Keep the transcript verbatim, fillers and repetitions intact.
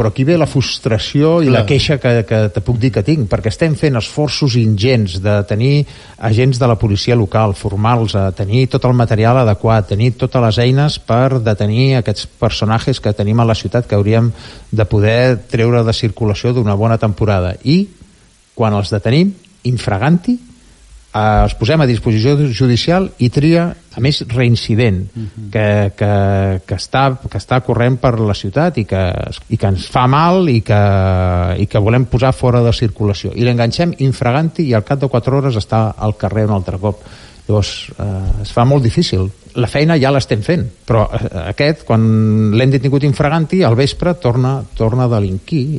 Però aquí ve la frustració i Clar. la queixa que, que te puc dir que tinc, perquè estem fent esforços ingents de tenir agents de la policia local, formar-los, a tenir tot el material adequat, tenir totes les eines per detenir aquests personatges que tenim a la ciutat que hauríem de poder treure de circulació d'una bona temporada. I quan els detenim, infraganti, eh, els posem a disposició judicial i tria, a més, reincident, uh-huh. que, que, que, està, que està corrent per la ciutat i que, i que ens fa mal i que, i que volem posar fora de circulació. I l'enganxem infraganti i al cap de quatre hores està al carrer un altre cop. Llavors, eh, es fa molt difícil. La feina ja l'estem fent, però eh, aquest, quan l'hem detingut infraganti, al vespre torna, torna a delinquir.